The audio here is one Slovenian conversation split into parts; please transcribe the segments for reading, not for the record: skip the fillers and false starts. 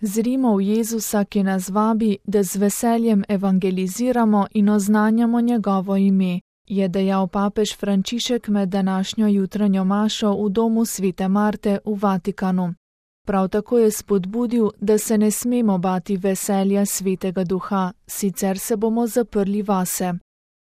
Zrimo v Jezusa, ki nas vabi, da z veseljem evangeliziramo in oznanjamo njegovo ime, je dejal papež Frančišek med današnjo jutranjo mašo v domu Svete Marte v Vatikanu. Prav tako je spodbudil, da se ne smemo bati veselja Svetega Duha, sicer se bomo zaprli vase.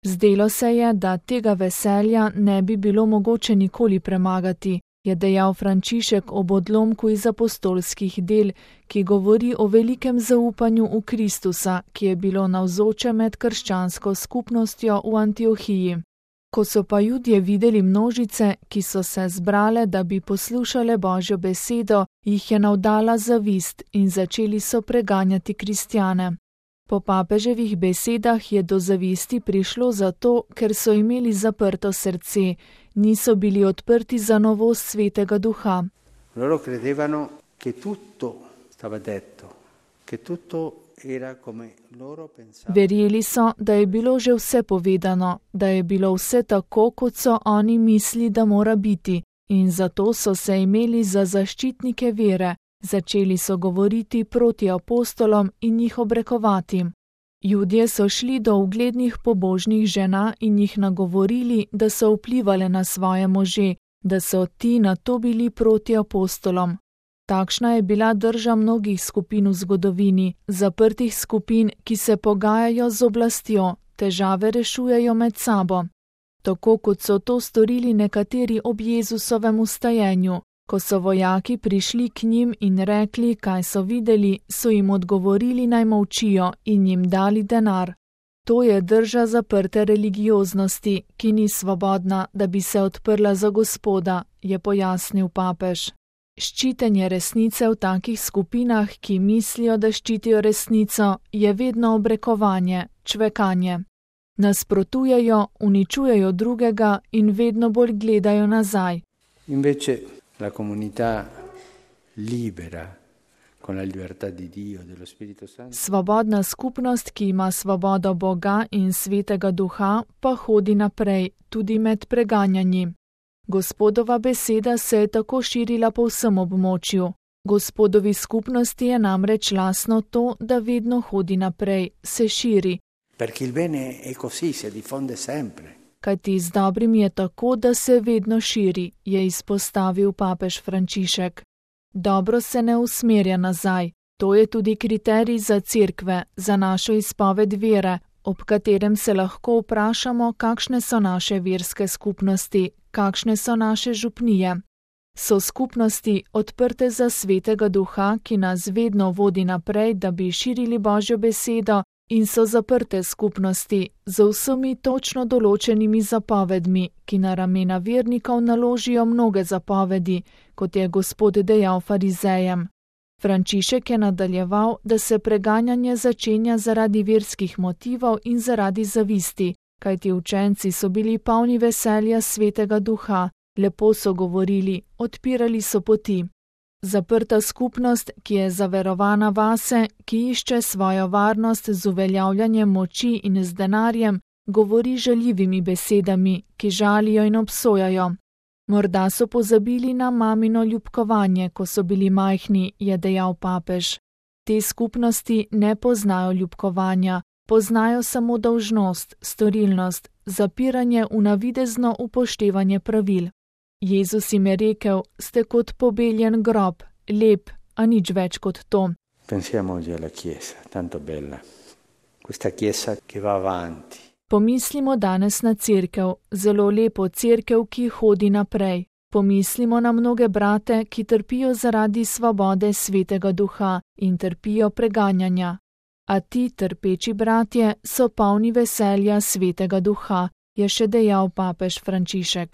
Zdelo se je, da tega veselja ne bi bilo mogoče nikoli premagati, je dejal Frančišek ob odlomku iz apostolskih del, ki govori o velikem zaupanju v Kristusa, ki je bilo navzoče med krščansko skupnostjo v Antiohiji. Ko so pa Judje videli množice, ki so se zbrale, da bi poslušale Božjo besedo, jih je navdala zavist in začeli so preganjati kristjane. Po papeževih besedah je do zavisti prišlo zato, ker so imeli zaprto srce, niso bili odprti za novost Svetega Duha. Loro credevano che tutto stava detto, che tutto era come loro pensavano. Verjeli so, da je bilo že vse povedano, da je bilo vse tako, kot so oni misli, da mora biti, in zato so se imeli za zaščitnike vere. Začeli so govoriti proti apostolom in jih obrekovati. Judje so šli do uglednih pobožnih žena in jih nagovorili, da so vplivale na svoje može, da so ti nato bili proti apostolom. Takšna je bila drža mnogih skupin v zgodovini, zaprtih skupin, ki se pogajajo z oblastjo, težave rešujejo med sabo. Tako kot so to storili nekateri ob Jezusovem vstajenju. Ko so vojaki prišli k njim in rekli, kaj so videli, so jim odgovorili, naj molčijo in jim dali denar. To je drža zaprte religioznosti, ki ni svobodna, da bi se odprla za Gospoda, je pojasnil papež. Ščitenje resnice v takih skupinah, ki mislijo, da ščitijo resnico, je vedno obrekovanje, čvekanje. Nasprotujejo, uničujejo drugega in vedno bolj gledajo nazaj. Invece la comunità libera, con la libertà di Dio, dello Spirito Santo. Svobodna skupnost, ki ima svobodo Boga in Svetega Duha, pa hodi naprej, tudi med preganjanji. Gospodova beseda se je tako širila po vsem območju. Gospodovi skupnosti je namreč lastno to, da vedno hodi naprej, se širi. Perché il bene è così, si diffonde sempre. Kajti z dobrim je tako, da se vedno širi, je izpostavil papež Frančišek. Dobro se ne usmerja nazaj. To je tudi kriterij za cerkve, za našo izpoved vere, ob katerem se lahko vprašamo, kakšne so naše verske skupnosti, kakšne so naše župnije. So skupnosti odprte za Svetega Duha, ki nas vedno vodi naprej, da bi širili Božjo besedo, in so zaprte skupnosti z vsemi točno določenimi zapovedmi, ki na ramena vernikov naložijo mnoge zapovedi, kot je Gospod dejal farizejem. Frančišek je nadaljeval, da se preganjanje začenja zaradi verskih motivov in zaradi zavisti, kajti učenci so bili polni veselja Svetega Duha, lepo so govorili, odpirali so poti. Zaprta skupnost, ki je zaverovana vase, ki išče svojo varnost z uveljavljanjem moči in z denarjem, govori žaljivimi besedami, ki žalijo in obsojajo. Morda so pozabili na mamino ljubkovanje, ko so bili majhni, je dejal papež. Te skupnosti ne poznajo ljubkovanja, poznajo samo dolžnost, storilnost, zapiranje v navidezno upoštevanje pravil. Jezus jim je rekel, ste kot pobeljen grob, lep, a nič več kot to. Pensiamo oggi alla Chiesa, tanto bella. Questa Chiesa che va avanti. Pomislimo danes na cerkev, zelo lepo cerkev, ki hodi naprej. Pomislimo na mnoge brate, ki trpijo zaradi svobode Svetega Duha in trpijo preganjanja. A ti trpeči bratje so polni veselja Svetega Duha, je še dejal papež Frančišek.